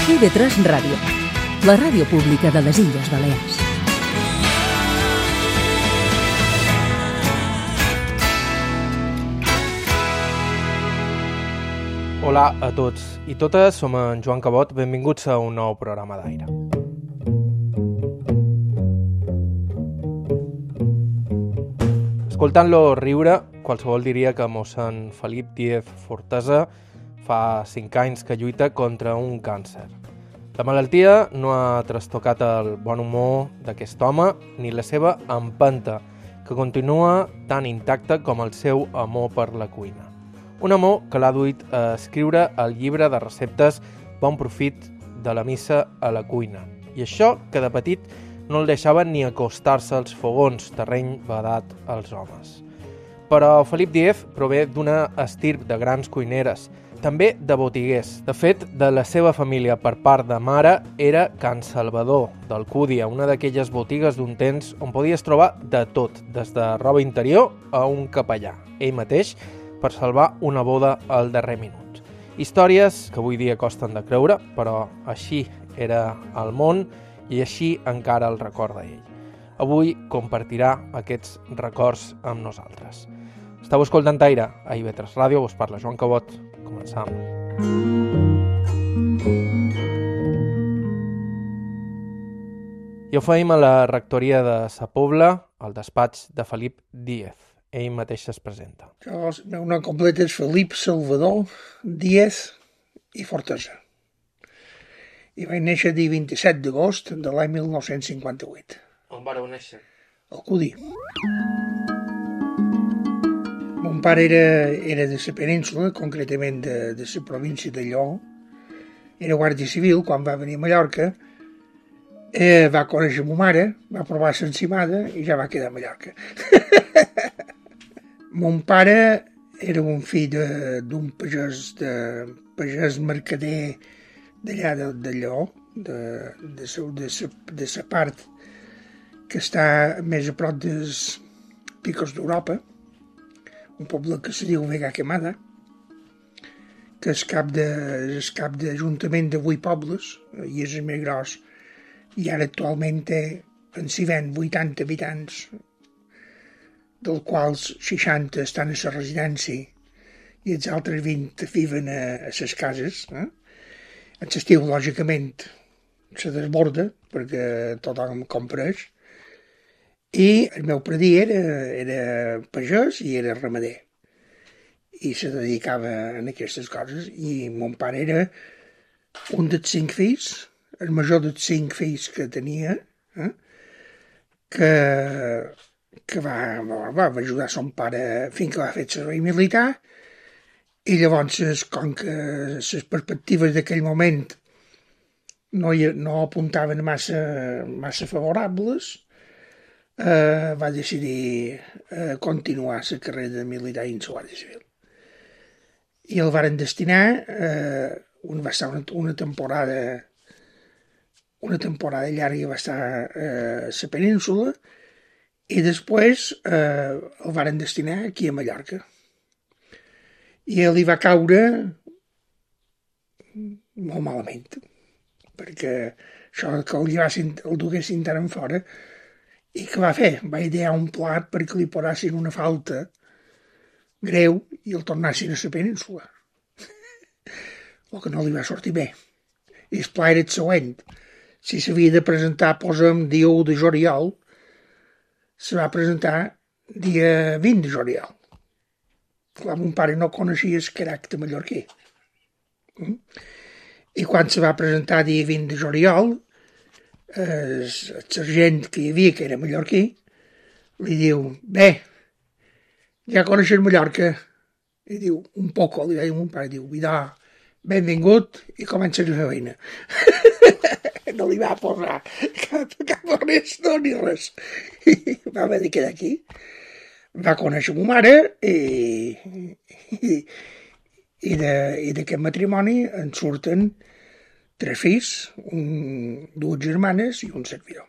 IB3 Ràdio, la ràdio pública de les Illes Balears. Hola a tots i totes, som en Joan Cabot, benvinguts a un nou programa d'Aire. Escoltant-lo riure, qualsevol diria que mossèn Felip Díez Fortesa fa 5 anys que lluita contra un càncer. La malaltia no ha trastocat el bon humor d'aquest home ni la seva empenta, que continua tan intacta com el seu amor per la cuina. Un amor que l'ha duit a escriure el llibre de receptes Bon Profit de la missa a la cuina. I això que de petit no el deixava ni acostar-se als fogons, terreny vedat als homes. Però Felip Díez prové d'una estirp de grans cuineres, també de botiguers. De fet, de la seva família per part de mare era Can Salvador, d'Alcúdia, una d'aquelles botigues d'un temps on podies trobar de tot, des de roba interior a un capellà. Ell mateix per salvar una boda al darrer minut. Històries que avui dia costen de creure, però així era el món i així encara el recorda ell. Avui compartirà aquests records amb nosaltres. Esteu escoltant Aire a IB3 Ràdio, us parla Joan Cabot. Començam. I ho feim a la rectoria de Sa Pobla, al despatx de Felip Díez. Ell mateix es presenta. El meu nom complet és Felip Salvador Díez i Fortesa. I vaig néixer el dia 27 d'agost de l'any 1958. On vareu néixer? Al Cudí. Mon pare era de la península, concretament de la província de Lleó. Era guàrdia civil quan va venir a Mallorca. Va conèixer ma mare, va provar l'encimada i ja va quedar a Mallorca. Mon pare era un fill d'un pagès mercader d'allà de Lleó, de la part que està més a prop dels Picos d'Europa, un poble que se diu Vega Quemada, que és cap d'ajuntament de 8 pobles, i és el més gros, i ara actualment té en si ven 80 habitants, dels quals 60 estan a la residència i els altres 20 viven a les cases. En l'estiu, lògicament, se desborda perquè tothom compreix. I el meu predí era pagès i era ramader. I se dedicava a aquestes coses. I mon pare era un dels 5 fills, el major dels 5 fills que tenia, que va ajudar son pare fins que va fer el servei militar, i llavors, com que les perspectives d'aquell moment no apuntaven massa favorables, va decidir continuar la carrera militar dins la Guàrdia Civil. I el varen destinar, va estar una temporada llarga, va estar a la península, i després el varen destinar aquí a Mallorca. I ell hi va caure molt malament, perquè això que el duguessin tant en fora. I què va fer? Va idear un plat perquè li posessin una falta greu i el tornassin a la península. El que no li va sortir bé. I el pla era el següent. Si s'havia de presentar, posem dia 1 de juliol, se va presentar dia 20 de juliol. Clar, mon pare no coneixia el caràcter mallorquí. I quan se va presentar dia 20 de juliol, el sergent que hi havia, que era mallorquí, li diu, bé, ja coneixes Mallorca? I diu, un poco, li deia mon pare, diu, vidà, benvingut i comença la feina. No li va posar cap res, no, ni res. Va haver de quedar aquí. Va conèixer ma mare i d'aquest matrimoni en surten 3 fills, 2 germanes i un servidor.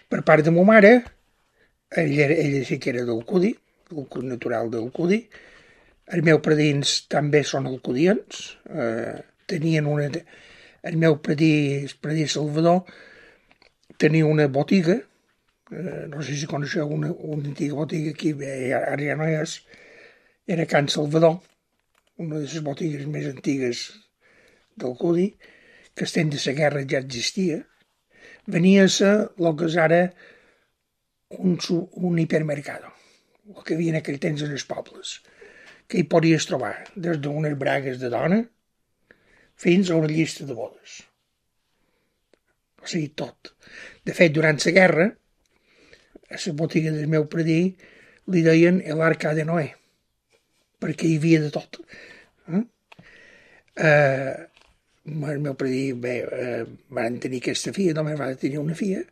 Per part de ma mare, ella sí que era d'Alcúdia, natural d'Alcúdia. Els meus predins també són alcudians, tenien una... el meu predí Salvador, tenia una botiga, no sé si coneixeu una antiga botiga aquí, ara ja no és, era Can Salvador, una de les botigues més antigues del Cudi, que el temps de la guerra ja existia. Venia a ser el que és ara un hipermercado, el que havia en aquell temps en els pobles, que hi podies trobar des d'unes bragues de dona fins a una llista de bodes. O sigui, tot. De fet, durant la guerra, a la botiga del meu predí li deien l'Arca de Noé, perquè hi havia de tot. El meu predí, van tenir aquesta filla, només va tenir una filla,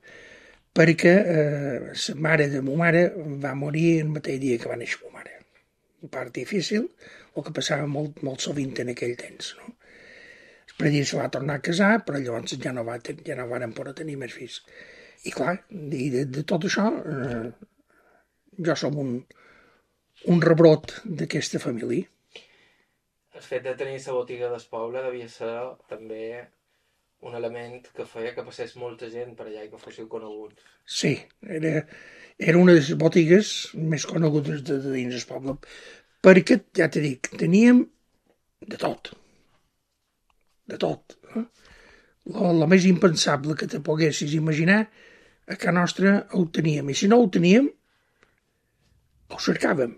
perquè la mare de ma mare va morir el mateix dia que va néixer ma mare. Un part difícil, el que passava molt, molt sovint en aquell temps, no? El predí se va tornar a casar, però llavors ja no van poder tenir més fills. I clar, de tot això, jo som un rebrot d'aquesta família. El fet de tenir la botiga del poble devia ser també un element que feia que passés molta gent per allà i que fóssiu coneguts. Sí, era una de les botigues més conegudes de dins del poble, perquè, ja t'he dit, teníem de tot. De tot. El més impensable que te poguessis imaginar, a casa nostra ho teníem. I si no ho teníem, ho cercàvem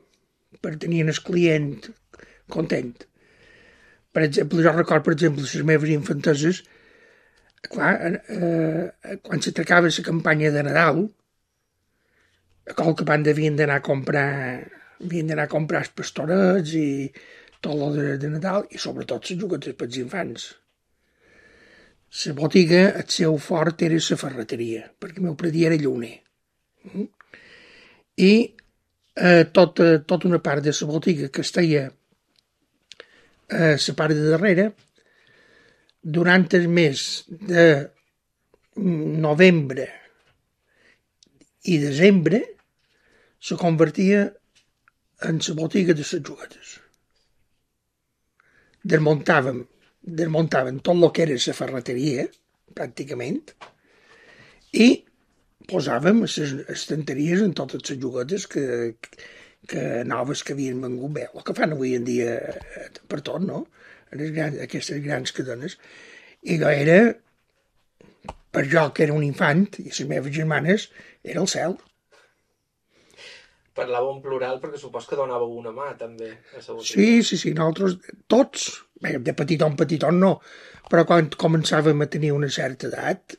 per tenir el client content. Per exemple, jo recordo, per exemple, les meves infanteses, clar, quan se tracava la campanya de Nadal, a qualque banda havien d'anar a comprar els pastorets i tot el de Nadal, i sobretot les juguetes pels infants. La botiga, el seu fort era la ferreteria, perquè el meu predí era llauner. I tota una part de la botiga que estaia a la part de darrere, durant el mes de novembre i desembre, se convertia en la botiga de les juguetes. Desmuntaven tot el que era la ferreteria, pràcticament, i posàvem les estanteries en totes les juguetes que noves que havien vengut bé, el que fan avui en dia per tot, no? Aquestes grans cadenes. I allò era, per jo que era un infant, i les meves germanes, era el cel. Parlàveu en plural perquè supos que donàveu una mà, també, a la botiga. Sí, nosaltres, tots, bé, de petiton no, però quan començàvem a tenir una certa edat,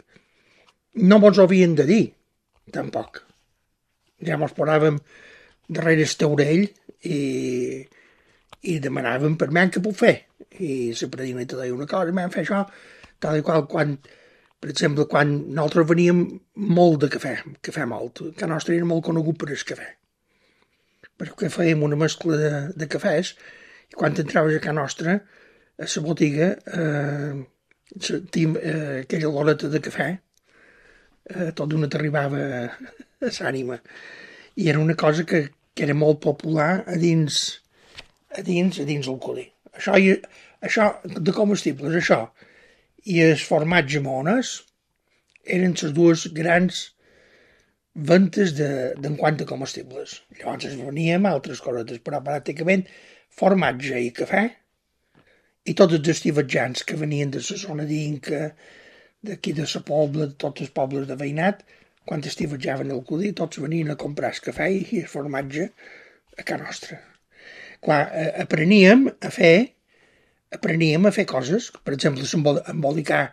no mos ho havien de dir, tampoc. Ja mos posàvem darrere el taulell i demanàvem per què puc fer. I la predina te deia una cosa, vam fer això, tal i qual, per exemple, quan nosaltres veníem molt de cafè molt, que nostre era molt conegut per el cafè, perquè fèiem una mescla de cafès, i quan entraves a casa nostra, a la botiga, aquella oloreta de cafè, tot d'una t'arribava a l'ànima. I era una cosa que era molt popular a dins el Cudi. Això de comestibles, això, i el formatge mones eren les dues grans ventes d'en quant a comestibles. Llavors es veníem altres cosetes, però pràcticament formatge i cafè, i tots els estivatjants que venien de la zona d'Inca, d'aquí de la Pobla, de tots els pobles de veïnat, quan estivatjaven el Cudi, tots venien a comprar el cafè i el formatge a casa nostra. Clar, apreníem a fer coses, per exemple, embolicar,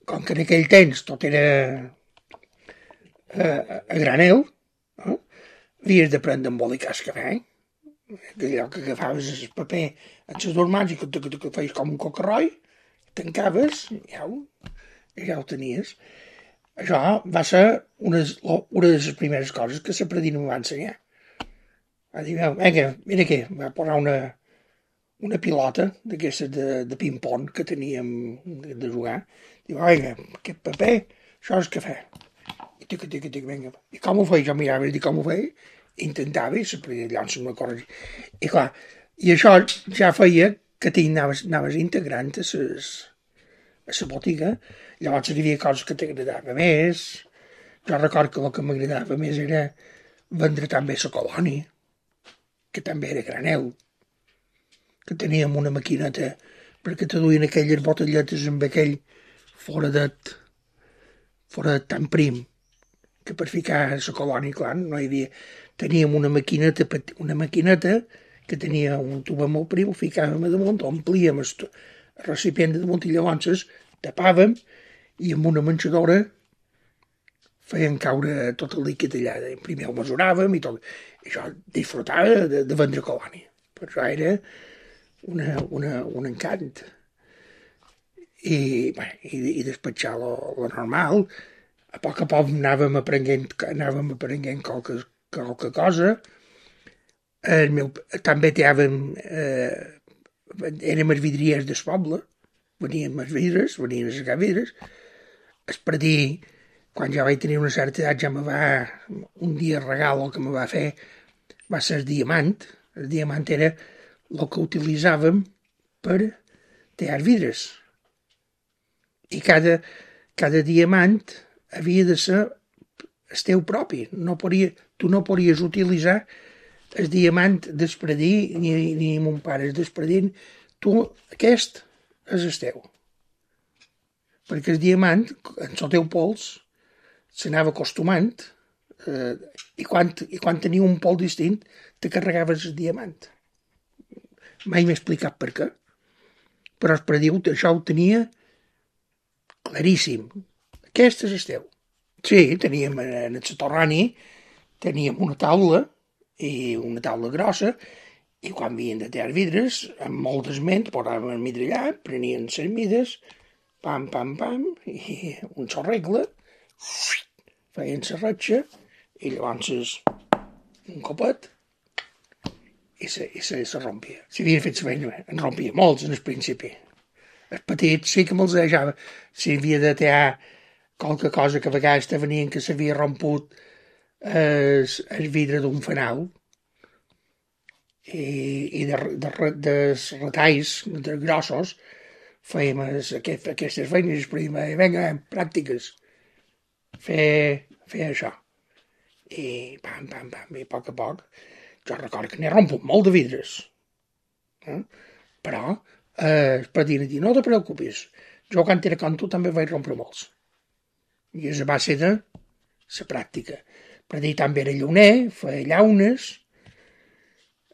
com que en aquell temps tot era a granel, havies d'aprendre a embolicar el cafè, allò que agafaves el paper en les dues mans i que feies com un cocarroi, tancaves i ja ho tenies. Això va ser una de les primeres coses que la predina em va ensenyar. Va dir, vinga, mira aquí, va posar una pilota d'aquestes de ping-pong que teníem de jugar. Diu, vinga, aquest paper, això és cafè. I tic, vinga. I com ho feia? Jo mirava i dic com ho feia, intentava i la predina llavors me corregia. I clar, i això ja feia que anaves integrant a a la botiga, llavors hi havia coses que t'agradava més. Jo record que el que m'agradava més era vendre també la colònia, que també era granel, que teníem una maquineta perquè te duien aquelles botelletes amb aquell foradet tan prim, que per ficar la colònia, clar, no hi havia... Teníem una maquineta que tenia un tuba molt prim, ho ficàvem a damunt, omplíem el recipient de damunt i llavors tapàvem i amb una manxadora feien caure tot el líquid allà. Primer ho mesuràvem i tot. I jo disfrutava de vendre colònia. Per això era un encant. I despatxar lo normal. A poc anàvem aprenent qualque cosa. També érem els vidriers del poble, venien els vidres, venien a sacar vidres. El predí, quan ja vaig tenir una certa edat, un dia el regal que me va fer va ser el diamant. El diamant era el que utilitzàvem per tallar vidres. I cada diamant havia de ser el teu propi. Tu no podies utilitzar el diamant d'Espredí ni mon pare és d'Espredí. Aquest és el teu. Perquè el diamant, en el teu pols, s'anava acostumant i quan tenia un pols distint te carregaves el diamant. Mai m'he explicat per què, però Espredí això ho tenia claríssim. Aquest és el teu. Sí, teníem en el soterrani teníem una taula i una taula grossa, i quan havien de tallar vidres, amb molt d'esment, posaven el vidre allà, prenien les mides, pam, pam, pam, i un regle, feien la ratxa, i llavors un copet, i se rompia. Si havien fet la feina, en rompia molts en el principi. Els petits sí que me'ls deixava. Si havia de tallar qualque cosa que a vegades te venien que s'havia romput el vidre d'un fanal i de retalls grossos fèiem aquestes feines i vinga, pràctiques, fer això. I pam, pam, pam, i a poc, jo recordo que n'he romput molt de vidres. Però per dir, no te preocupis, jo quan era com tu també vaig rompre molts. I és a base de la pràctica. Per dir, també era llauner, feia llaunes,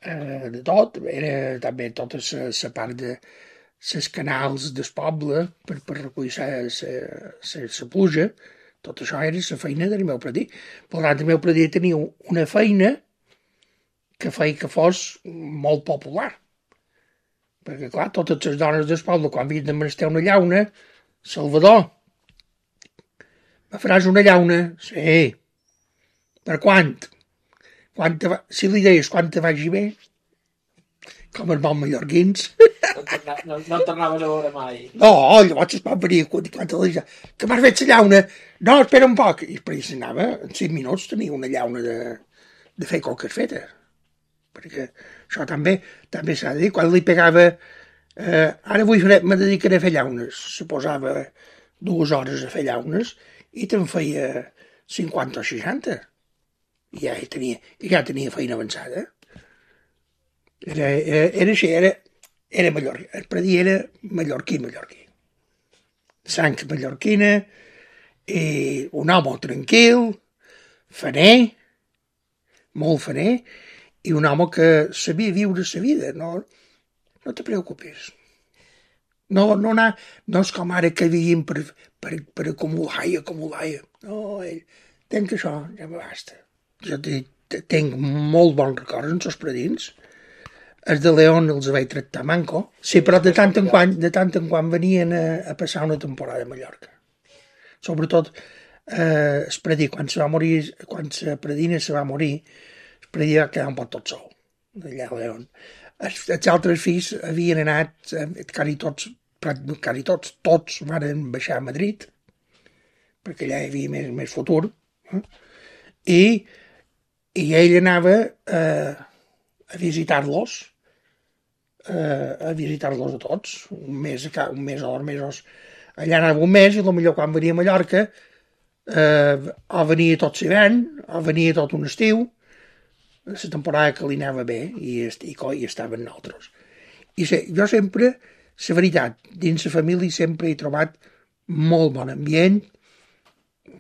de tot, era també tota la part de les canals del poble per recollir la pluja, tot això era la feina del meu predí. Per tant, el meu predí tenia una feina que feia que fos molt popular. Perquè, clar, totes les dones del poble, quan havien de menester una llauna, Salvador, me faràs una llauna? Sí. Per quant? Si li deies quan te vagi bé, com els bons mallorquins. No tornaves a veure mai. No, llavors es va venir quan te li deia, que m'has fet la llauna? No, espera un poc. I després anava, en 5 minuts tenia una llauna de fer coques fetes. Perquè això també s'ha de dir. Quan li pegava, ara me dedicaré a fer llaunes. Se posava 2 hores a fer llaunes i te'n feia 50 o 60. I ja tenia feina avançada. Era així, era mallorquí. El predí era mallorquí. Sang mallorquina, i un home tranquil, faner, molt faner, i un home que sabia viure la vida. No te preocupis. No és com ara que vivim per acumular i acumular. No, tenc això, ja me basta. Jo tinc molt bons records en els predins. Els de León els vaig tractar manco. Sí, però de tant en quan venien a passar una temporada a Mallorca. Sobretot el predí, quan la predina se va morir, el predí va quedar un poc tot sol, allà a León. Els altres fills havien anat, tots van baixar a Madrid, perquè allà hi havia més futur, i ell anava a visitar-los a tots, un mes o 2 mesos allà anava un mes i potser quan venia a Mallorca o venia tot l'hivern o venia tot un estiu, la temporada que li anava bé i estaven nosaltres. I jo sempre, la veritat, dins la família sempre he trobat molt bon ambient,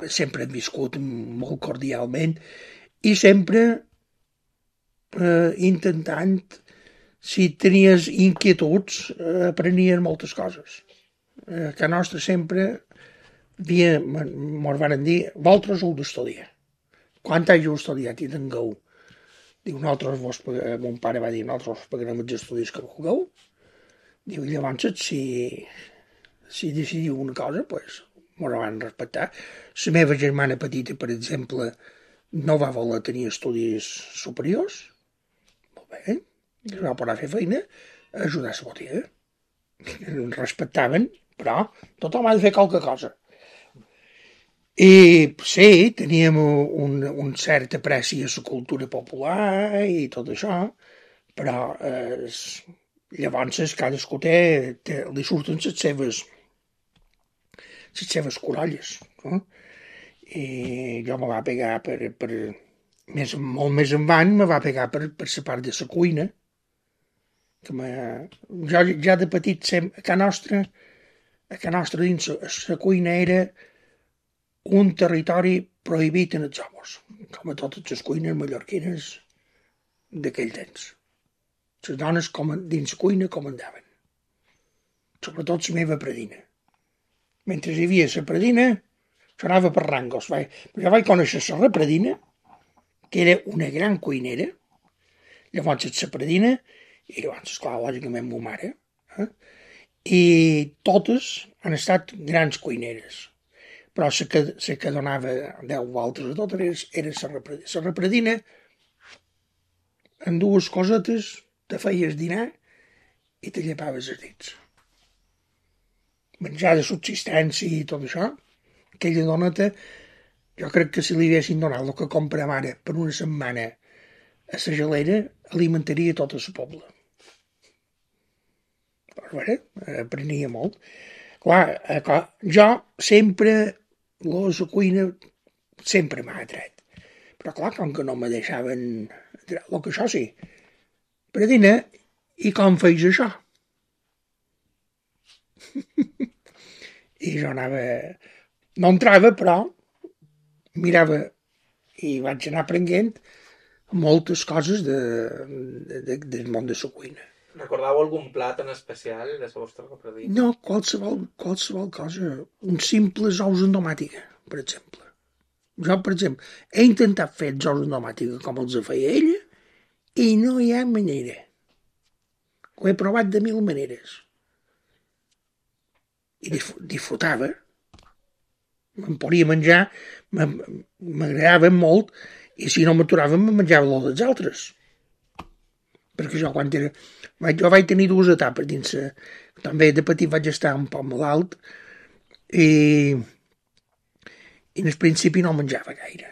sempre hem viscut molt cordialment i sempre intentant, si tenies inquietuds, aprenies moltes coses. A casa nostra sempre mos van dir, vosaltres heu d'estudiar. Quan hàgiu estudiat i tingueu? Diu, mon pare va dir, nosaltres vos pagarem els estudis que vulgueu. Diu, i llavors, si decidiu una cosa, doncs, mos van respectar. La meva germana petita, per exemple, no va voler tenir estudis superiors. Molt bé, es va poder fer feina a ajudar a la botiga. Ens respectaven, però tothom ha de fer qualque cosa. I sí, teníem un cert apreci a la cultura popular i tot això, però llavors cadascú li surten les seves corolles. No? I jo me va pegar molt més endavant, me va pegar per la part de la cuina, jo ja de petit a casa nostra dins la cuina era un territori prohibit en els homes, com a totes les cuines mallorquines d'aquell temps. Les dones dins la cuina comandaven, sobretot la meva predina. Mentre hi havia la predina, això anava per rangos. Jo vaig conèixer la repredina, que era una gran cuinera, llavors la predina, i llavors, esclar, lògicament, ma mare, i totes han estat grans cuineres. Però la que donava 10 voltes a tot era la repredina. La repredina, amb dues cosetes, te feies dinar i te llepaves els dits. Menjar de subsistència i tot això, aquella doneta, jo crec que si li haguessin donat el que compra mare per una setmana a la gelera, alimentaria tot el poble. Però bé, aprenia molt. Clar, jo sempre, la cuina sempre m'ha atret. Però clar, com que no me deixaven, el que això sí, predina, i com feis això? I jo anava, no entrava, però mirava i vaig anar aprenent moltes coses del món de la cuina. Recordeu algun plat en especial de la vostra repredina? No, qualsevol cosa. Uns simples ous amb tomàtica, per exemple. Jo, per exemple, he intentat fer els ous amb tomàtica com els feia ella i no hi ha manera. Ho he provat de 1000 maneres. I disfrutava. Me'n podia menjar, m'agradava molt, i si no m'aturava me'n menjava el dels altres. Perquè jo vaig tenir 2 etapes dins també de petit vaig estar un poc malalt i en el principi no menjava gaire,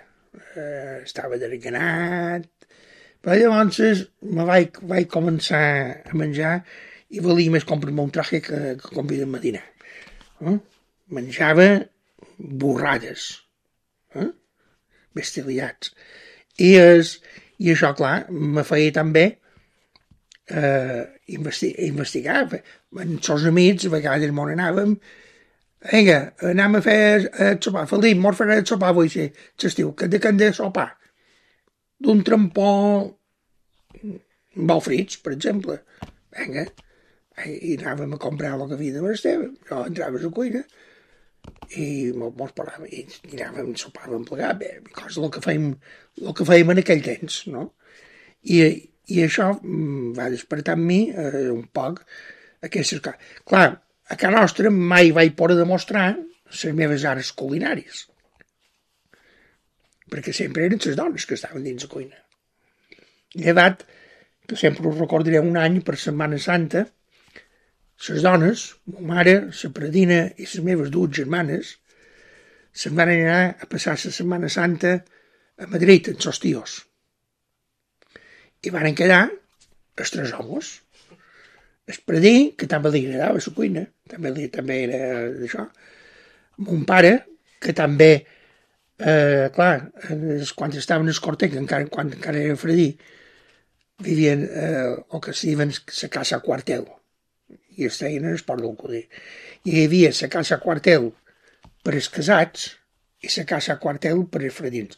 estava desganat, però llavors me vaig començar a menjar i valia més comprar-me un traje que convidar-me a dinar. Menjava borrades, bestialitats, i això, clar, me feia també investigar. Amb els amics, a vegades m'on anàvem, vinga, anem a fer el sopar. Felip, mos farà el sopar avui, sí, l'estiu. Que hem de sopar? D'un trampó amb ous frits, per exemple. Vinga, i anàvem a comprar el que havia de menester. Jo entrava a la cuina i mos parlàvem, i anàvem, sopàvem plegat, bé, cosa el que fèiem en aquell temps, no? I això va despertar en mi un poc aquestes coses. Clar, a casa nostra mai vaig poder demostrar les meves arts culinàries, perquè sempre eren les dones que estaven dins la cuina. Llevat, que sempre ho recordaré, un any per Setmana Santa, les dones, ma mare, la predina i les meves 2 germanes, se'n van anar a passar la Setmana Santa a Madrid, amb els tios. I van quedar els 3 homes. Espredí, que també li agradava la cuina, també era d'això. Mon pare, que també, clar, quan estaven a Escortec, quan encara era fredí, vivien el que se diuen la casa quartel, i es deien en esport del Codí. I hi havia la casa quartel per als casats i la casa quartel per als fredins.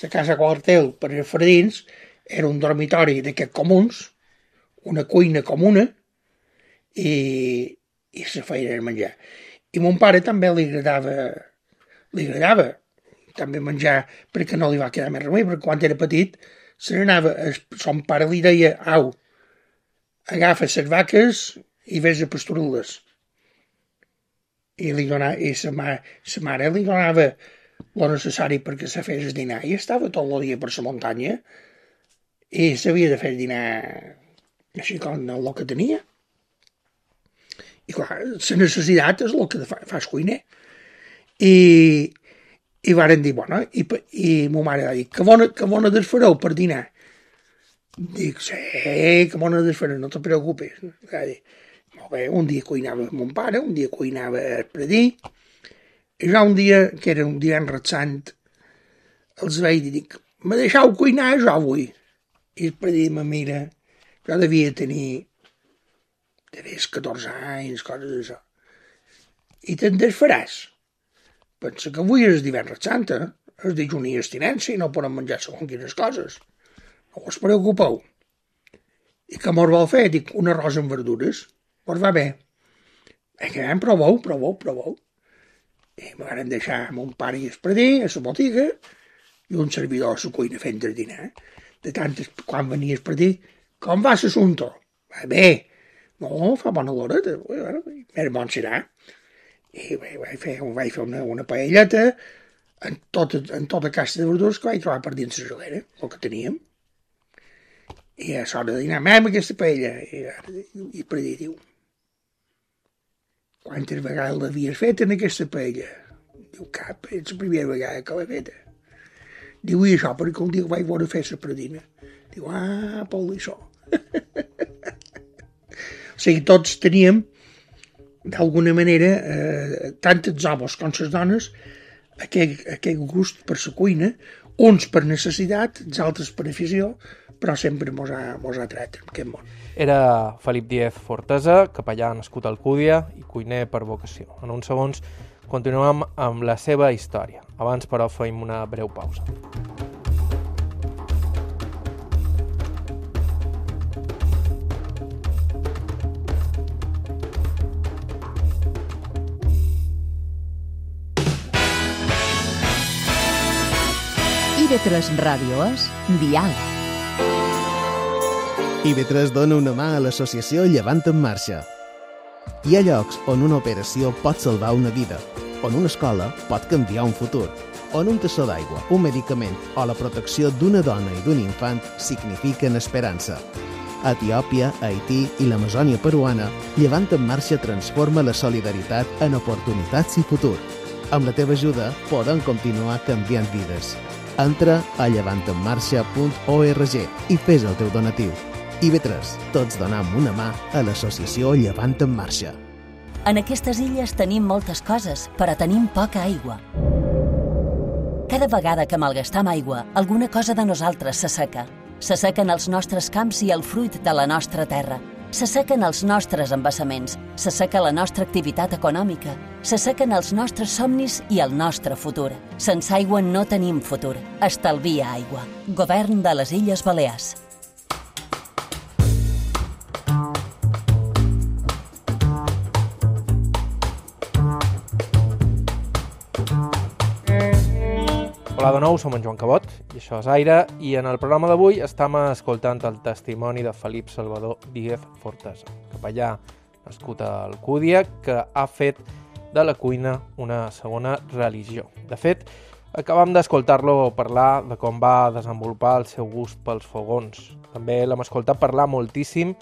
La casa quartel per als fredins era un dormitori d'aquests comuns, una cuina comuna, i la feina era menjar. I mon pare també li agradava també menjar, perquè no li va quedar més remei, perquè quan era petit se n'anava, son pare li deia, au, agafa les vaques i vés a pasturar-les. I sa mare li donava el necessari perquè se fes el dinar, i estava tot el dia per la muntanya, i s'havia de fer el dinar així com el que tenia. I clar, la necessitat és el que fa el cuiner. I varen dir, bueno, i ma mare va dir, que bona desfareu per dinar? Dic, sí, que bona desfareu, no te preocupes. Va dir, molt bé, un dia cuinava mon pare, un dia cuinava el predí, i ja un dia, que era un divendres sant, els vaig dir, dic, me deixeu cuinar jo avui? I el predí me mira, jo devia tenir 14 anys, coses d'això. I te'n desfaràs. Pensa que avui és divendres santa, és dijunt i abstinència i no podem menjar segons quines coses. No us preocupeu. I què mos vol fer? Dic, un arròs amb verdures. Mos va bé. Proveu. I me van deixar mon pare i el predí a la botiga i un servidor a la cuina fent el dinar. De tant, quan venia el predí, com va l'assumpte? Va bé. No, fa bona l'hora, més bon serà. I vaig fer una paelleta en tota caixa de verdures que vaig trobar per dins la gelera, el que teníem. I a l'hora de dinar, amb aquesta paella. I per dir, diu, quantes vegades l'havies fet en aquesta paella? Diu, cap, és la primera vegada que l'he feta. Diu, i això, perquè un dia vaig veure fer la predina. Diu, per això. O sigui, tots teníem, d'alguna manera, tant els homes com les dones, aquest gust per la cuina, uns per necessitat, els altres per afició, però sempre mos ha tret en aquest món. Era Felip Díez Fortesa, capellà nascut a Alcúdia i cuiner per vocació. En uns segons continuem amb la seva història. Abans, però, feim una breu pausa. IB3 Ràdio és Diàleg. IB3 dona una mà a l'associació Llevant en Marxa. Hi ha llocs on una operació pot salvar una vida, on una escola pot canviar un futur, on un tassó d'aigua, un medicament o la protecció d'una dona i d'un infant signifiquen esperança. A Etiòpia, Haití i l'Amazònia peruana, Llevant en Marxa transforma la solidaritat en oportunitats i futur. Amb la teva ajuda podem continuar canviant vides. Entra a llevantenmarxa.org i fes el teu donatiu. IB3, tots donam una mà a l'associació Llevant en Marxa. En aquestes illes tenim moltes coses, però tenim poca aigua. Cada vegada que malgastam aigua, alguna cosa de nosaltres s'asseca. S'assequen els nostres camps i el fruit de la nostra terra. S'assequen els nostres embassaments, s'asseca la nostra activitat econòmica, s'assequen els nostres somnis i el nostre futur. Sense aigua no tenim futur. Estalvia aigua. Govern de les Illes Balears. Hola de nou, som en Joan Cabot, i això és Aire, i en el programa d'avui estem escoltant el testimoni de Felip Salvador Díez Fortesa, capellà nascut a Alcúdia, que ha fet de la cuina una segona religió. De fet, acabam d'escoltar-lo parlar de com va desenvolupar el seu gust pels fogons. També l'hem escoltat parlar moltíssim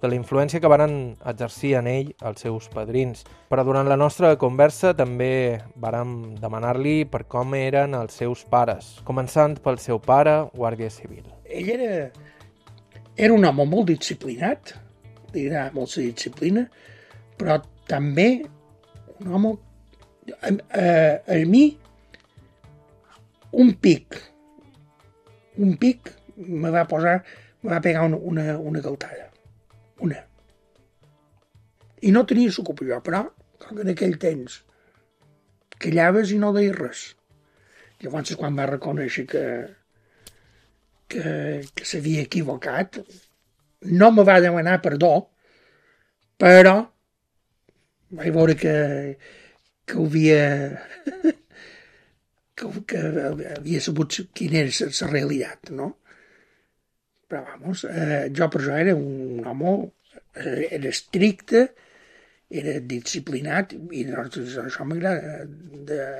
de la influència que van exercir en ell els seus padrins. Però durant la nostra conversa també vàrem demanar-li per com eren els seus pares, començant pel seu pare, guàrdia civil. Ell era un home molt disciplinat, li agrada molt la disciplina, però també un home, a mi, un pic me va pegar una galtada, una. I no tenia l'ocupació, però, com que en aquell temps callaves i no deies res. Llavors, quan va reconèixer que s'havia equivocat, no me va demanar perdó, però vaig veure que havia sabut quina era la realitat, no? Però, vamos, jo per això era un home, era estricte, era disciplinat, i doncs això m'agrada.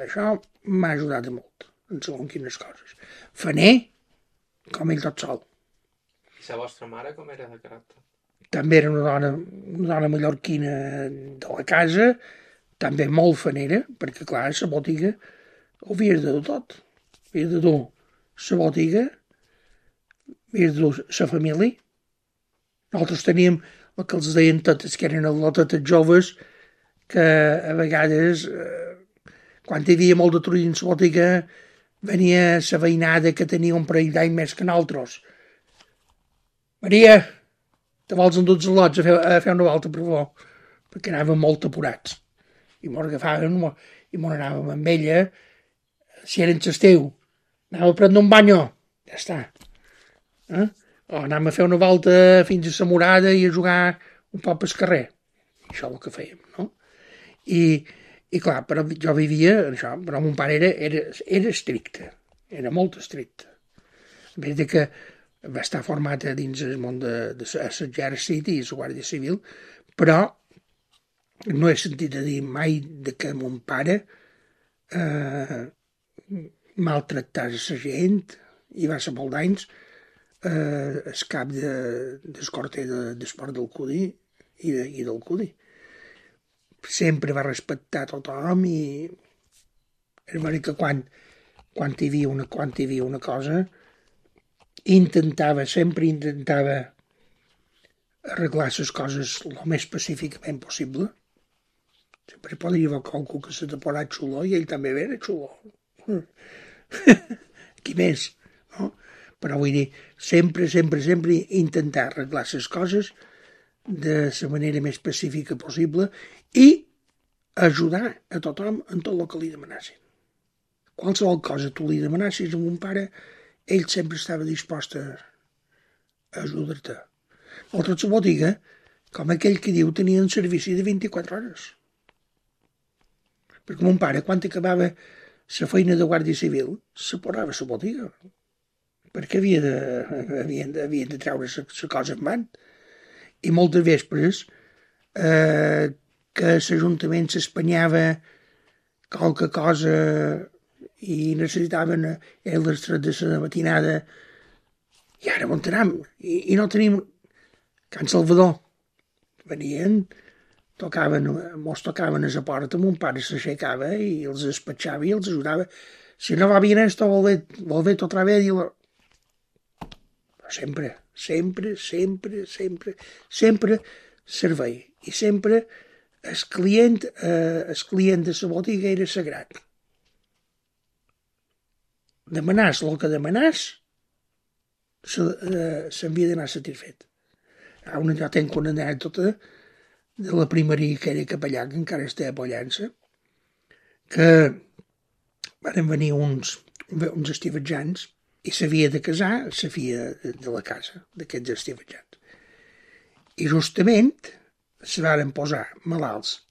Això m'ha ajudat molt, en segons quines coses. Faner, com ell tot sol. I la vostra mare com era de caràcter? També era una dona mallorquina de la casa, també molt fanera, perquè clar, la botiga ho havies de dur tot. Havies de dur la botiga, havies de dur la família. Nosaltres teníem el que els deien totes, que eren lotetes joves, que a vegades, quan hi havia molt de trull en la botiga, venia la veïnada que tenia un parell d'any més que nosaltres. Maria, te vols endur els lots a fer una volta, per favor? Perquè anàvem molt apurats. I mos agafaven i mos anàvem amb ella, si era en l'estiu, anàvem a prendre un banyo, ja està. O anàvem a fer una volta fins a la Morada i a jugar un poc pel carrer. Això és el que fèiem, no? I clar, però jo vivia això, però mon pare era estricte, era molt estricte. A més que va estar format dins el món de l'exèrcit i la Guàrdia Civil, però no he sentit a dir mai de que mon pare maltractàs la gent i va ser molt d'anys el cap d'escorter d'esport del Cudi i del Cudi. Sempre va respectar tothom i és veritat que quan hi havia una cosa sempre intentava arreglar les coses el més pacíficament possible. Sempre podria haver qualcú que se t'ha posat xulo i ell també era xulo. Qui més, no? Però vull dir, sempre intentar arreglar les coses de la manera més pacífica possible i ajudar a tothom en tot el que li demanassin. Qualsevol cosa tu li demanassis a mon pare, ell sempre estava dispost a ajudar-te. Nosaltres la botiga, com aquell que diu, tenia un servici de 24 hores. Perquè mon pare, quan acabava la feina de Guàrdia Civil, se posava a la botiga, perquè havien de treure la cosa en van. I moltes vespres que l'Ajuntament s'espanyava qualque cosa i necessitaven les 3 de la matinada i ara on anem? I no tenim Can Salvador. Venien, mos tocaven a la porta, mon pare s'aixecava i els despatxava i els ajudava. Si no va bien esto, volvete otra vez. Sempre servei. I sempre el client de la botiga era sagrat. Demanàs el que demanàs, s'havia d'anar satisfet. Jo tenc una anècdota de la primeria que era capellà, que encara està a Pollença, que van venir uns estivatjans i s'havia de casar la filla de la casa, d'aquests estivatjans. I justament se varen posar malalts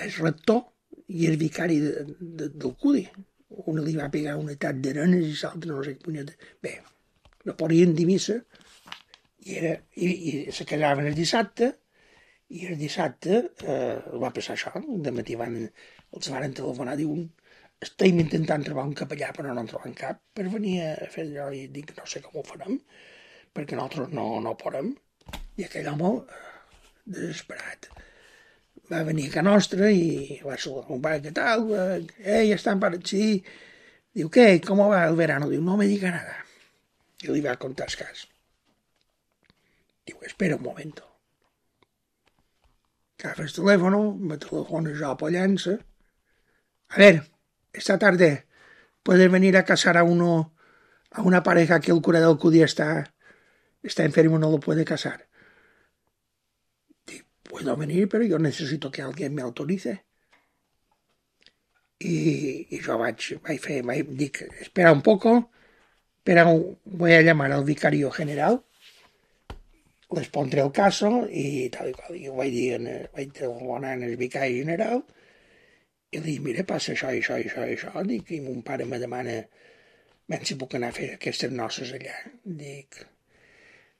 el rector i el vicari del Cudi. Un li va pegar un atac d'arenes i l'altre no sé què punyeta. Bé, no podien dir missa i se casaven el dissabte i el dissabte va passar això. De matí els varen telefonar, diuen estem intentant trobar un capellà però no en trobem cap per venir a fer allò i dic no sé com ho farem perquè nosaltres no podem. I aquell home desesperat va venir a casa nostra i va saludar un pare, què tal? Ja estan para sí. Diu, ¿qué? ¿Cómo va el verano? Diu, no me diga nada. I li va contar el cas. Diu, espera un momento. Agafa el telèfon, me telefona jo por llança. A ver, esta tarde puedes venir a casar a una pareja que el cura del Cudí está enfermo, no lo puede casar. Dic, puedo venir, pero yo necesito que alguien me autorice. Y yo dic, espera un poco, voy a llamar al vicario general, les pondré el caso i tal i qual. Jo vaig telefonar al vicari general i li dic, mira, passa això i això i això i això. Dic, i mon pare me demana si puc anar a fer aquestes noces allà.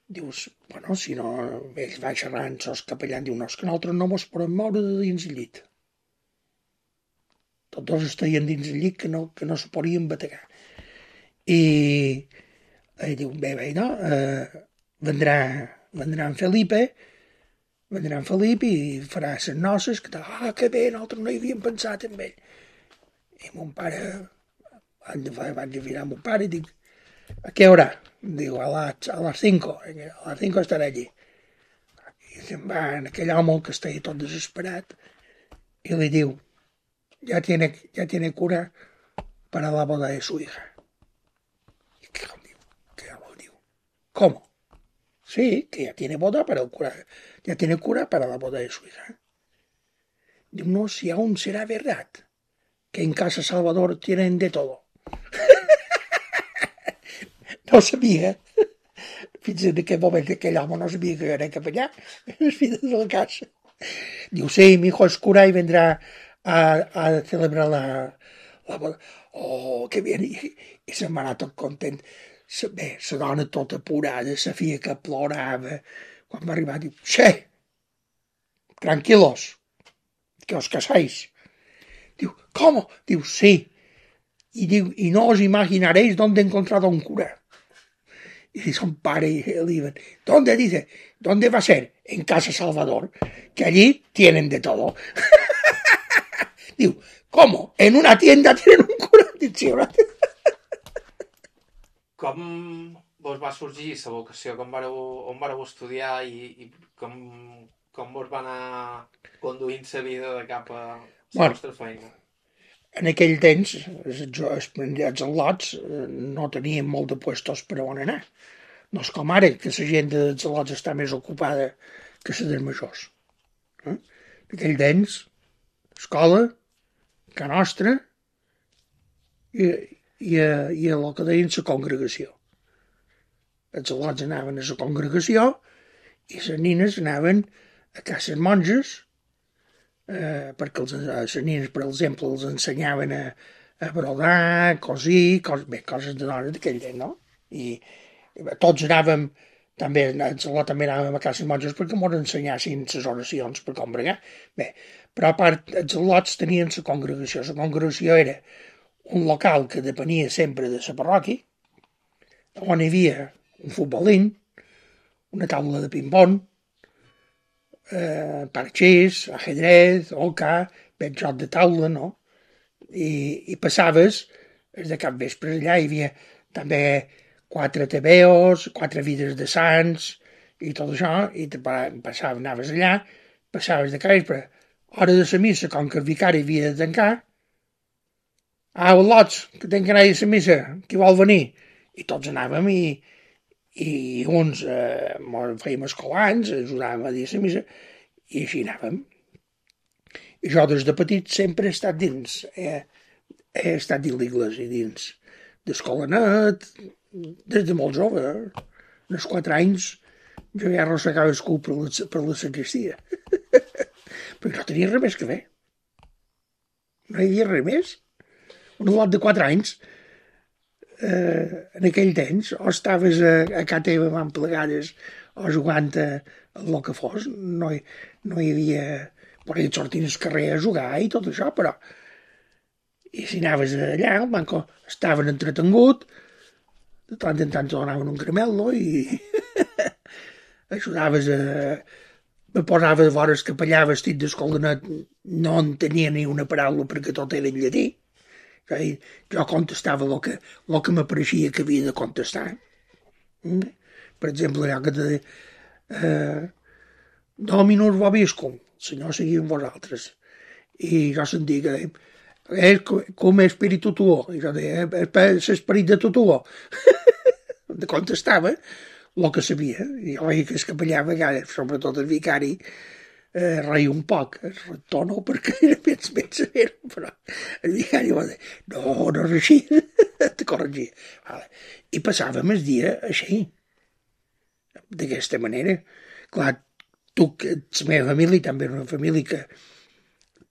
Dius, bueno, si no, ells va xerrant, sos capellà, diu, no, és que nosaltres no mos podem moure de dins el llit. Tots dos estaven dins el llit que no se podien bategar. I diu, bé, no, vendrà en Felipe i farà les noces, que bé, nosaltres no hi havíem pensat en ell. I mon pare, vaig mirar a mon pare i dic, ¿a qué hora? Diu, a las 5, a las 5 estaré allí. I se'n va en aquell home que estava tot desesperat i li diu, ya tiene cura para la boda de su hija. ¿Y qué diu? ¿Cómo? Sí, que ya tiene boda para el cura, ya tiene cura para la boda de su hija. Diu, no, si aún será verdad que en Casa Salvador tienen de todo. No sabia. Fins en aquell moment aquell home no sabia que jo era capellà. Les filles de la casa. Diu, sí, mi hijo es cura y vendrá a celebrar la boda. Oh, que bien. I se'n va anar tot content. Bé, la dona tota apurada, la filla que plorava. Quan va arribar, diu, sí, tranquilos, que os casáis. Diu, ¿cómo? Diu, sí. Y diu, y no os imaginaréis dónde he encontrado un cura. Y son padre y él iban, ¿dónde? Dice, ¿dónde va a ser? En Casa Salvador, que allí tienen de todo. Diu, ¿cómo? ¿En una tienda tienen un cura? Dic, sí, una tienda. Com vos va sorgir la vocació? On vareu estudiar i com vos va anar conduint la vida de cap a la vostra feina? En aquell temps, els al·lots no tenien molt de puestos per on anar. No és com ara, que la gent dels al·lots està més ocupada que la dels majors. En aquell temps, escola, Can Nostra i el que deien la congregació. Els al·lots anaven a la congregació i les nines anaven a cases monges perquè les nines, per exemple, els ensenyaven a brodar, cosir, coses de dones d'aquell temps, no? I tots anàvem, també anàvem a cases monges perquè ens ensenyassin les oracions per com bregar. Bé, però a part, els al·lots tenien la congregació. La congregació era un local que depenia sempre de la parròquia, on hi havia un futbolín, una taula de ping-pong, parxís, ajedrez, oca, joc de taula, no? I passaves, de cap vespre allà hi havia també 4 tebeos, 4 vides de sants i tot això, i anaves allà, passaves de cap vespre, hora de la missa, com que el vicari havia de tancar, al·lots, que tinc que anar a la missa, qui vol venir? I tots anàvem i uns fèiem escolans, ajudàvem a dir la missa, i així anàvem. I jo des de petit sempre he estat dins, he estat dins l'església, dins d'escolanet, des de molt jove, als 4 anys, jo ja arrossegava el cul per la sagristia. Perquè no tenia res més que fer. No hi havia res més. Un lot de 4 anys, en aquell temps, o estaves a casa teva amb plegades o jugant al que fos, no hi havia... Podien sortir al carrer a jugar i tot això, però... I si anaves allà, el banco estaven entretengut, de tant en tant donaven un caramel, i ajudaves a... Me posava de vora el capellà vestit d'escoldanet, no en tenia ni una paraula perquè tot era en llatí. Jo contestava el que m'apareixia que havia de contestar. Per exemple, allò que te deia Dominus vobiscum, el Senyor sigui amb vosaltres. I jo sentia que dèiem, com espíritu tuo. I jo deia, l'esperit de tuo. De contestava el que sabia. I jo veia que el capellà a vegades, sobretot el vicari, reia un poc, el rector no, perquè era més saber, però el vicari va dir, no és així, te corregia. Vale. I passàvem el dia així, d'aquesta manera. Clar, la meva família també era una família que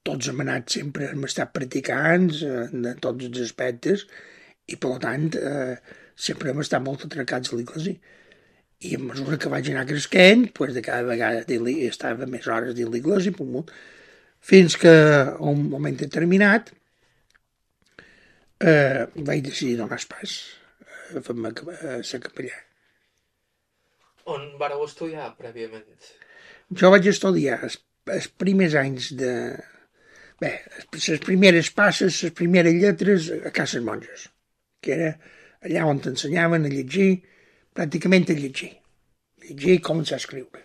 tots hem anat sempre, hem estat practicants en tots els aspectes i, per tant, sempre hem estat molt atracats a l'església. I a mesura que vaig anar cresquent, doncs de cada vegada estava més hores dins l'església, fins que a un moment determinat vaig decidir donar pas a fer-me a ser capellà. On vareu estudiar prèviament? Jo vaig estudiar els primers anys de... Bé, les primeres passes, les primeres lletres a Cases Monges, que era allà on t'ensenyaven a llegir, pràcticament a llegir i començar a escriure.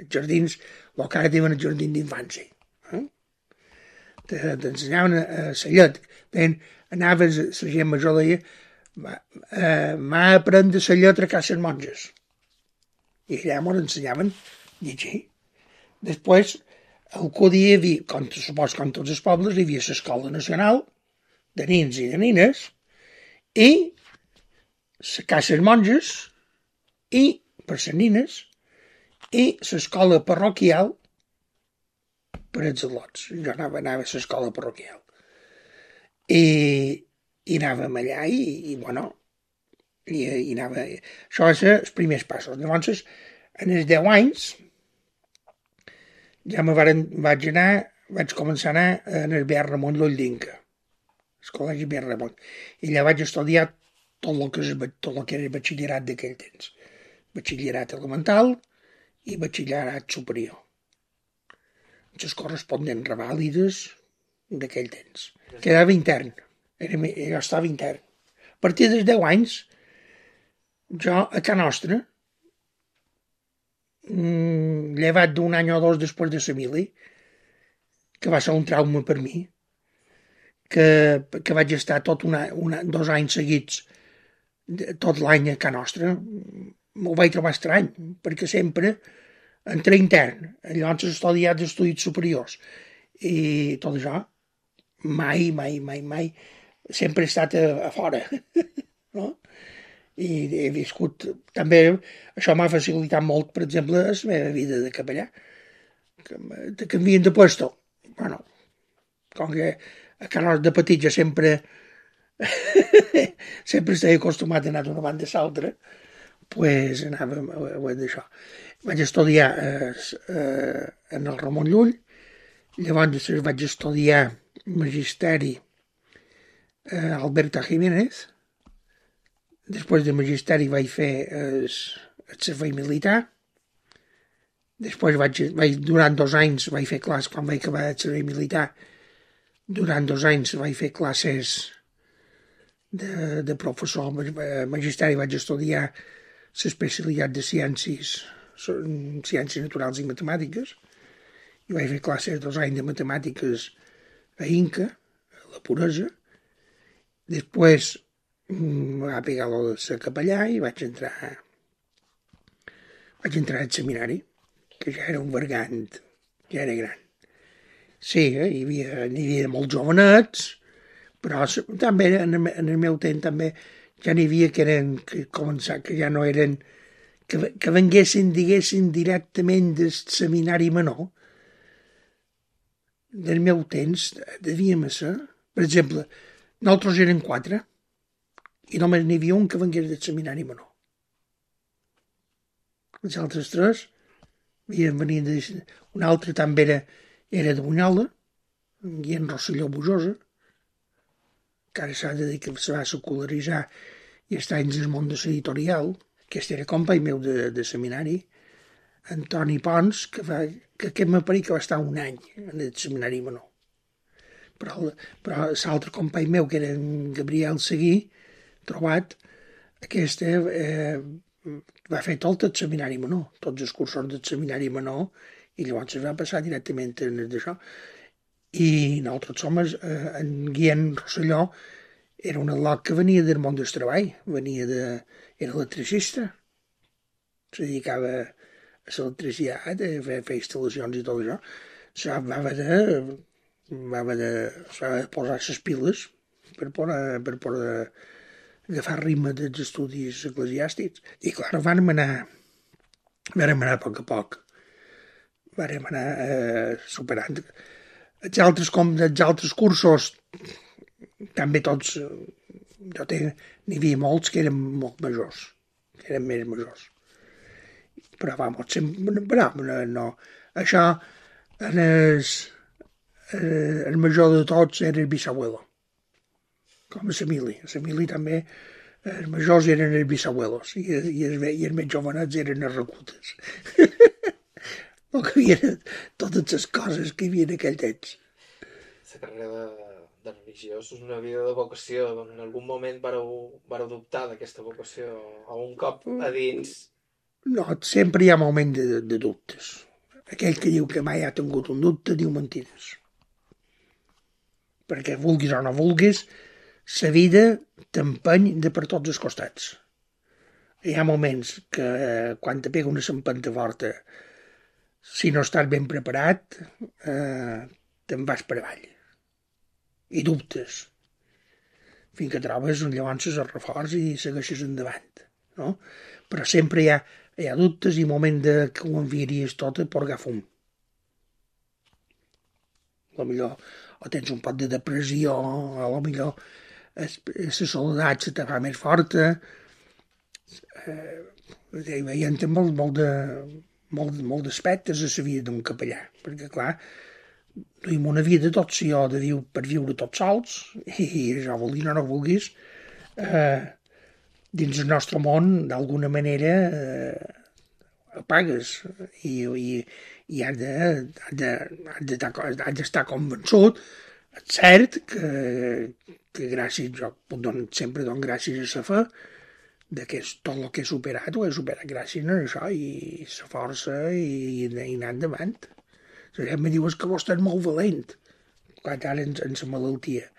Els jardins, el que ara diuen el jardí d'infància. T'ensenyaven a la llet. Anaves, la gent major deia, m'ha aprendre la lletra a Cases Monges. I allà m'ho ensenyaven a llegir. Després, el que hi havia, com tots els pobles, hi havia l'Escola Nacional de nins i de nines i les Cases Monges i, per les nines, i l'escola parroquial per als al·lots. Jo anava a l'escola parroquial. I anàvem allà i anava... Això va ser els primers passos. Llavors, en els 10 anys, ja vaig començar a anar en el BR Ramon Llull d'Inca, el col·legi BR Ramon. I allà vaig estudiar tot el que era el batxillerat d'aquell temps. Batxillerat elemental i batxillerat superior. Les corresponents revàlides d'aquell temps. Quedava intern. Jo estava intern. A partir dels 10 anys, jo a Can Nostra, llevat d'un any o dos després de la mili, que va ser un trauma per mi, que vaig estar tot 2 anys seguits, tot l'any a Can Nostra, m'ho vaig trobar estrany, perquè sempre entre intern, llavors he estudiat d'estudis superiors, i tot això, mai, sempre he estat a fora, no? I he viscut, també, això m'ha facilitat molt, per exemple, la meva vida de capellà, que canvien de puesto. Bueno, com que a Can Nostra de petit ja sempre estava acostumat a anar d'una banda a l'altra, pues anàvem a d'això. Vaig estudiar en el Ramon Llull, llavors vaig estudiar magisteri a Alberta Jiménez, després de magisteri vaig fer el servei militar, després durant 2 anys vaig fer classes, quan vaig acabar el servei militar, durant 2 anys vaig fer classes de professor. Magisteri vaig estudiar l'especialitat de ciències naturals i matemàtiques, i vaig fer classes 2 anys de matemàtiques a Inca, a la Puresa. Després va pegar de ser capellà i vaig entrar al seminari, que ja era un vergant, ja era gran. Sí, n'hi havia molts jovenets, però també en el meu temps també ja n'hi havia que ja no eren, que venguessin, diguessin, directament del seminari menor. Del meu temps devíem ser, per exemple, nosaltres érem 4 i només n'hi havia un que vengués del seminari menor. Els altres 3 venien un altre també era de Bunyola, en Guillem Rosselló Bujosa, que ara s'ha de dir que se va secularitzar i està dins el món de l'editorial. Aquest era company meu de seminari, Antoni Pons, que aquest m'apareix que va estar 1 any en el seminari menor. Però l'altre company meu, que era en Gabriel Seguí, trobat, aquest va fer tot el seminari menor, tots els cursos del seminari menor, I llavors es va passar directament en d'això. I nosaltres som, en Guillem Rosselló, era un al·lot que venia del món del treball, era electricista, se dedicava a l'electricitat, a fer instal·lacions i tot això. Va haver de posar les piles per poder agafar ritme dels estudis eclesiàstics. I clar, vàrem anar a poc a poc. Vàrem anar superant. Els altres cursos, també tots, n'hi havia molts que eren molt majors, que eren més majors. Però, no. Això, el major de tots era el bisabuelo, com a Samili. A Samili també, els majors eren els bisabuelos i els més jovenets eren els reclutes. No que hi havia totes les coses que hi havia en aquell temps. La carrera de religiós és una vida de vocació. En algun moment vareu dubtar d'aquesta vocació? Un cop a dins? No, sempre hi ha moment de dubtes. Aquell que diu que mai ha tingut un dubte diu mentides. Perquè vulguis o no vulguis, la vida t'empeny de per tots els costats. Hi ha moments que quan te pega una empenta forta, si no estàs ben preparat, te'n vas per avall. I dubtes. Fins que trobes llavors el reforç i segueixes endavant. No? Però sempre hi ha dubtes i moment que ho enviaries tot a porgar fum. Potser o tens un poc de depressió, o potser la soledat se te fa més forta. Veiem molt d'aspectes a la vida d'un capellà, perquè clar, duim una vida tot jo per viure tots sols, i això vulguis o no vulguis, dins el nostre món, d'alguna manera, apagues i has d'estar convençut. És cert que gràcies, jo sempre dono gràcies a la fe, que tot el que he superat ho he superat gràcies a això i la força i anar endavant. La gent me diu que vos estàs molt valent, quan ara en la malaltia.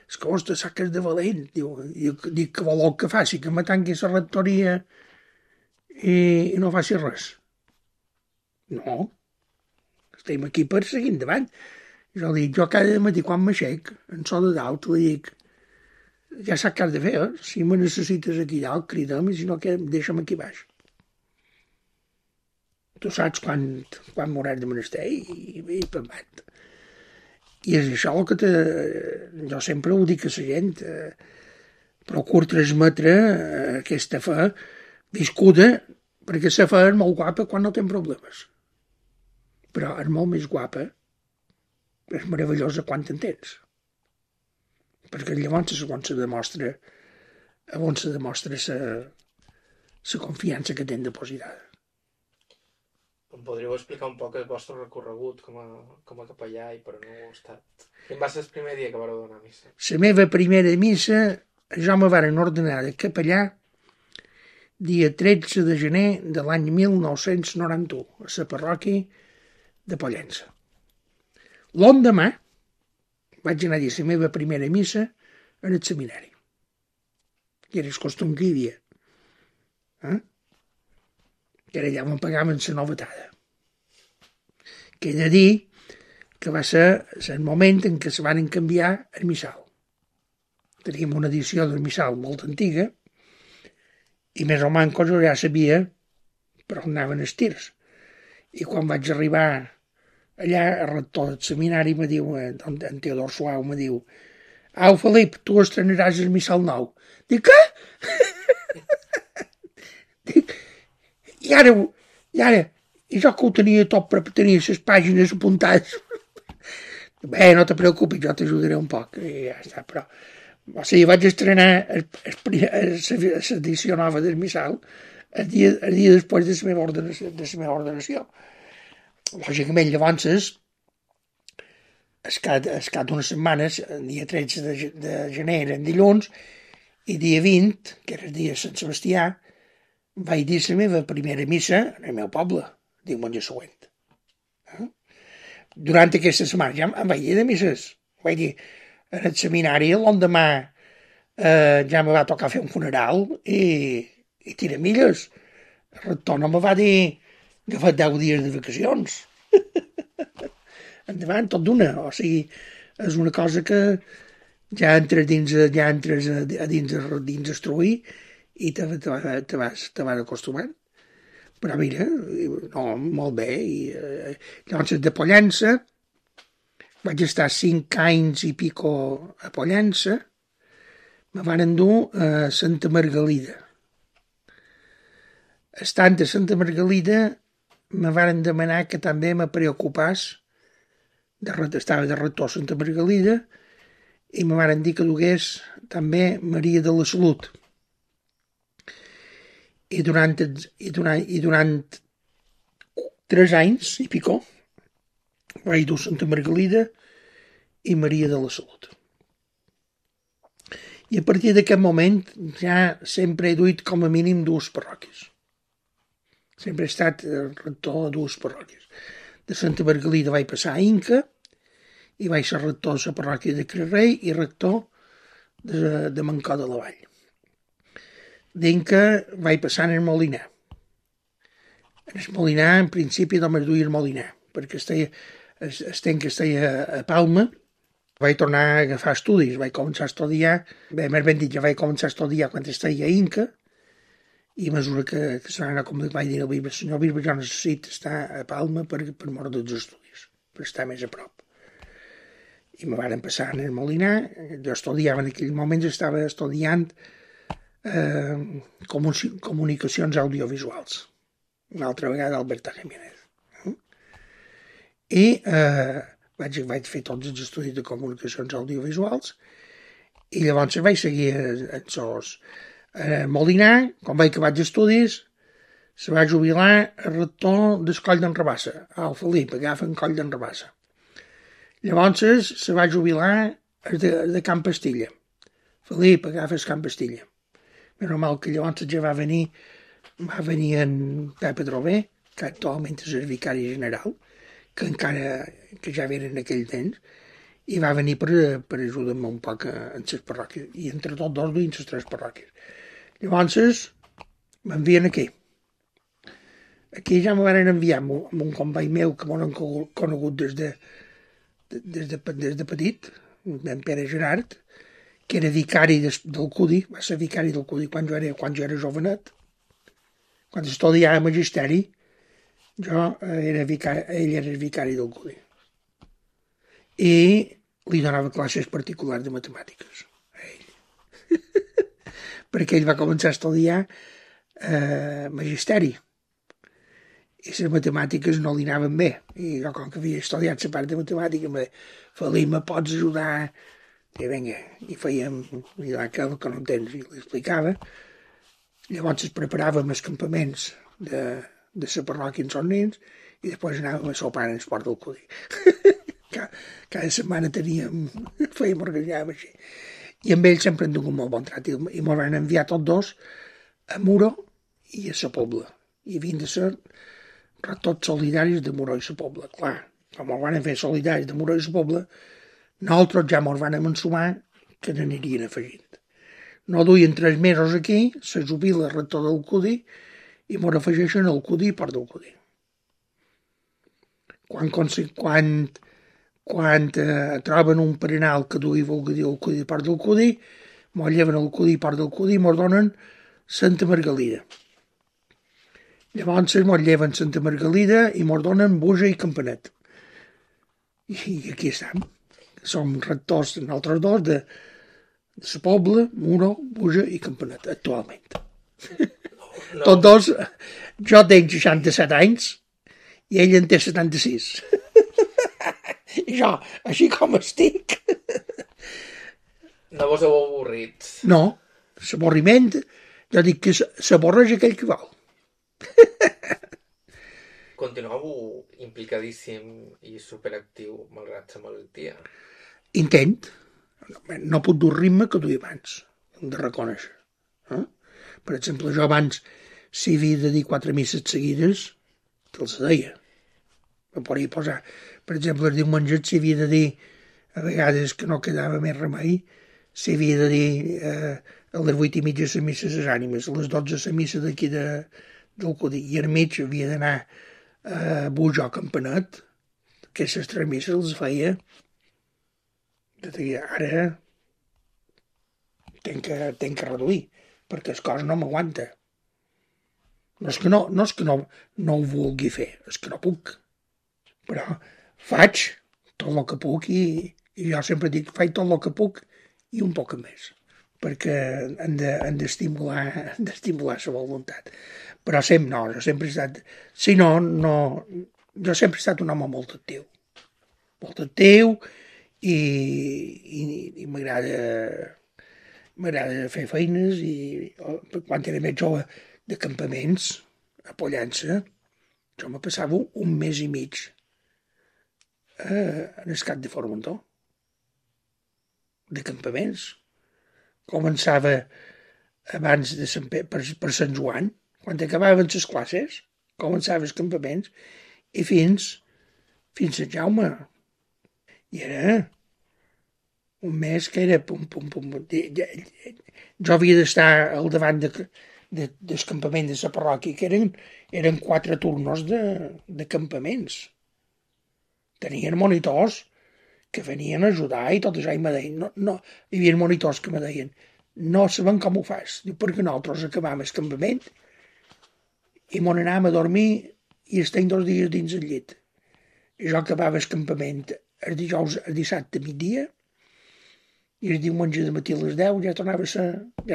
És que vos te saques de valent. Dic que voleu que faci, que me tanqui la rectoria i no faci res. No, estem aquí per seguir endavant. Jo cada matí quan m'aixec, en so de dalt, li dic, ja saps què has de fer, si me necessites aquí dalt, crida'm, i si no, deixa'm aquí baix. Tu saps quan m'hauràs de menester i pembat. I és això el que jo sempre ho dic a la gent, procur transmetre aquesta fe viscuda, perquè la fe és molt guapa quan no té problemes. Però és molt més guapa, és meravellosa quan t'entens. Perquè llavors és on se demostra la confiança que tens depositada. Em podríeu explicar un poc el vostre recorregut com a capellà i per on heu estat? Quin va ser el primer dia que vareu donar missa? La meva primera missa, jo me varen ordenar de capellà dia 13 de gener de l'any 1991, a la parròquia de Pollença. L'endemà vaig anar a dir la meva primera missa en el seminari. I era el costum que hi havia. Que era allà on pagaven la novetada. Que he de dir que va ser el moment en què se van canviar el missal. Teníem una edició del missal molt antiga i més o menys jo ja sabia per on anaven els tirs. I quan vaig arribar allà, el rector del seminari me diu, en Teodor Suau me diu, au, Felip, tu estrenaràs el missal nou. Dic, què? Dic, i ara, i jo que ho tenia tot, tenia les pàgines apuntades. Bé, no te preocupis, jo t'ajudaré un poc. I ja està, però... O sigui, vaig estrenar l'edició nova del missal el dia després de la meva ordenació. Lògicament, llavors, escat d'unes setmanes, el dia 13 de gener eren dilluns, i dia 20, que era el dia de Sant Sebastià, vaig dir la meva primera missa en el meu poble, diumenge següent. durant aquesta setmana ja em vaig dir de misses. Vaig dir, en el seminari l'endemà ja me va tocar fer un funeral i tiramilles. El rector no me va dir agafar 10 dies de vacacions. Endavant, tot d'una. O sigui, és una cosa que ja entres a dins estruir i te vas acostumant. Però mira, no, molt bé. Llavors, de Pollença, vaig estar 5 anys i pico a Pollença, me van endur a Santa Margalida. Estant a Santa Margalida, me van demanar que també me preocupés, estava de rector a Santa Margalida, i me van dir que dugués també Maria de la Salut. I durant 3 anys i pico vaig dur Santa Margalida i Maria de la Salut. I a partir d'aquest moment ja sempre he duit com a mínim 2 parròquies. Sempre he estat rector a 2 parròquies. De Santa Margalida vaig passar a Inca i vaig ser rector de la parròquia de Crerrei i rector de Mancó de la Vall. D'Inca vaig passar en el Molinar. En el Molinar, en principi, només duia el Molinar, perquè el temps que estava a Palma vaig tornar a agafar estudis, vaig començar a estudiar, més ben dit, ja vaig començar a estudiar quan estava a Inca, i a mesura que se va anar, com vaig dir al bisbe, senyor bisbe, jo necessito estar a Palma per mort dels estudis, per estar més a prop. I me van passar en el Molinar, jo estudiava en aquell moment, estava estudiant comunicacions audiovisuals, una altra vegada Alberta Jiménez. I vaig fer tots els estudis de comunicacions audiovisuals i llavors vaig seguir a Molinar. Quan vaig acabar els estudis se va jubilar el rector del Coll d'en Rabassa, el Felip, agafen Coll d'en Rabassa. Llavors se va jubilar de Camp Pastilla. Felip, agafes Camp Pastilla. És normal que llavors ja va venir en Pepe Drover, que actualment és el vicari general, que ja era en aquell temps, i va venir per ajudar-me un poc en les parròquies, i entre tots dos duien les 3 parròquies. Llavors m'envien aquí. Aquí ja me van enviar amb un company meu que m'han conegut des de petit, en Pere Gerard, que era vicari del CUDI, va ser vicari del CUDI quan jo era jovenet. Quan estudiava magisteri, ell era vicari del CUDI. I li donava classes particulars de matemàtiques a ell. Perquè ell va començar a estudiar magisteri. I les matemàtiques no li anaven bé. I jo, com que havia estudiat la part de matemàtica, em va dir, Felip, me pots ajudar? I vinga, i fèiem aquell que no entens, i li explicava. Llavors preparàvem els campaments de la parròquia en els nens i després anàvem a sopar en el port del CUDI. Cada setmana fèiem organitzàvem així. I amb ells sempre han tingut molt bon trat i ens van enviar tots dos a Muro i a la Pobla. I havien de ser tots solidaris de Muro i la Pobla. Clar, com ens van fer solidaris de Muro i la Pobla, nosaltres ja ens van ensumar que n'anirien afegint. No duien 3 mesos aquí, se jubila el rector del CUDI i ens afegeixen el CUDI i port del CUDI. Quan troben un perenal que duia el CUDI i port del CUDI, ens lleven el CUDI i port del CUDI i ens donen Santa Margalida. Llavors ens lleven Santa Margalida i ens donen Buja i Campanet. I aquí estem. Som rectors, nosaltres dos, de la Pobla, Muro, Buja i Campanet, actualment. No. Tots dos, jo tenc 67 anys i ell en té 76. I jo, així com estic... No vos heu avorrit? No, l'avorriment, jo dic que s'avorreix aquell que vol. Continueu implicadíssim i superactiu malgrat la malaltia? Intent. No puc dur el ritme que duia abans, hem de reconèixer. Per exemple, jo abans, si havia de dir 4 misses seguides, te'ls deia. Podria posar, per exemple, el diumenge s'havia de dir, a vegades que no quedava més remei, s'havia de dir a les 8:30 la missa de les ànimes, a les 12 la missa d'aquí del Codí, i al mig havia d'anar a Bujó Campanet, que les 3 misses les feia. Ara tenc que reduir, perquè el cos no m'aguanta. No és que no ho vulgui fer, és que no puc. Però faig tot el que puc i jo sempre dic, faig tot el que puc i un poc més, perquè han d'estimular la voluntat. Però sempre jo sempre he estat... Si no, jo sempre he estat un home molt actiu i m'agrada fer feines i quan era més jove de campaments a Pollença, jo me passava un mes i mig en el Cap de Formentor de campaments. Començava abans de per Sant Joan, quan acabaven les classes, començava els campaments i fins a Sant Jaume. I era un mes que era pum. Jo havia d'estar al davant del campament de la parròquia, que eren 4 turnos de campaments. Tenien monitors que venien a ajudar i tot això, i me deien, no, hi havia monitors que me deien, no sabem com ho fas, perquè nosaltres acabàvem el campament i m'on anàvem a dormir i estem 2 dies dins el llit. I jo acabava el campament el dijous, el dissabte a migdia, i el diumenge de matí a les 10 ja tornava a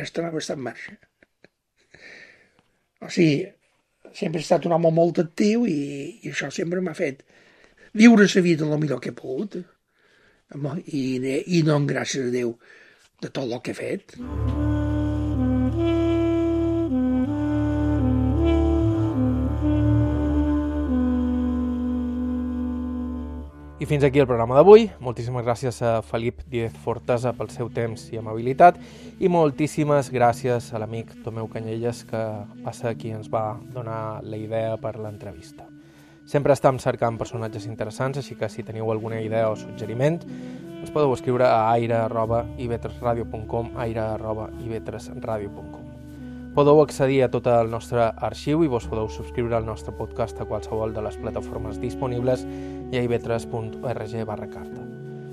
estar en marxa. O sigui, sempre he estat un home molt actiu i això sempre m'ha fet viure la vida el millor que he pogut i donar gràcies a Déu de tot el que he fet. I fins aquí el programa d'avui. Moltíssimes gràcies a Felip Díez Fortesa pel seu temps i amabilitat i moltíssimes gràcies a l'amic Tomeu Canyelles, que va ser qui ens va donar la idea per l'entrevista. Sempre estem cercant personatges interessants, així que si teniu alguna idea o suggeriment ens podeu escriure a aire@ivetresradio.com, aire@ivetresradio.com. Podeu accedir a tot el nostre arxiu i vos podeu subscriure al nostre podcast a qualsevol de les plataformes disponibles i a ivetres.org/carta.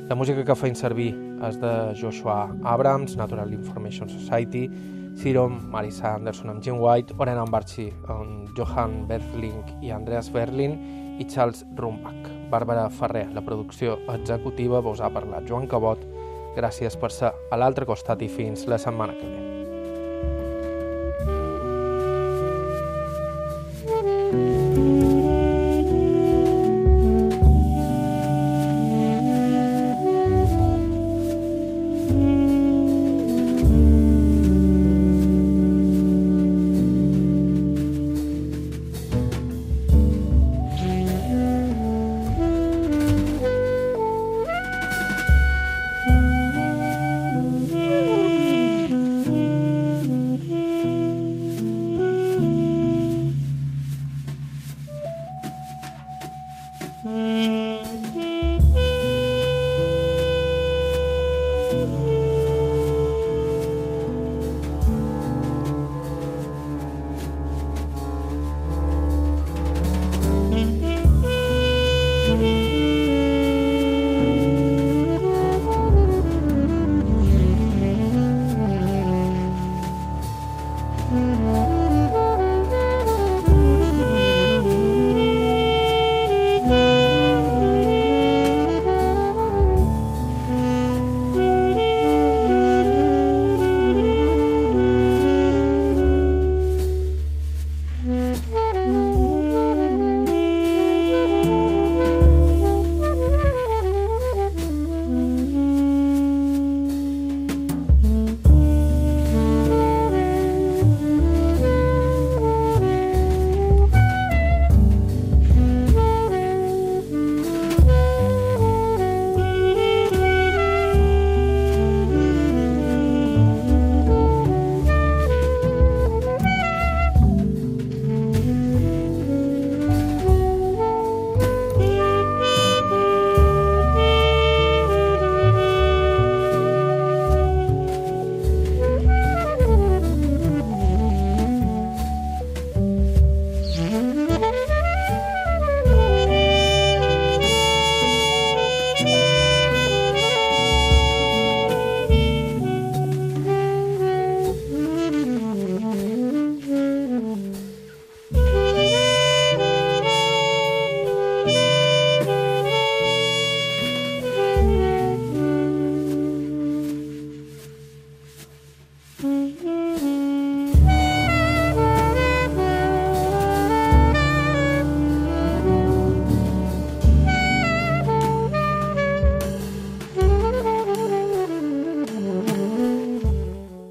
La música que feim servir és de Joshua Abrams, Natural Information Society, Sirom, Marisa Anderson amb Jim White, Orena Ambarchi amb Johan Berling i Andreas Berlin i Charles Rumbach. Bàrbara Ferrer, la producció executiva, vos ha parlat Joan Cabot. Gràcies per ser a l'altre costat i fins la setmana que ve.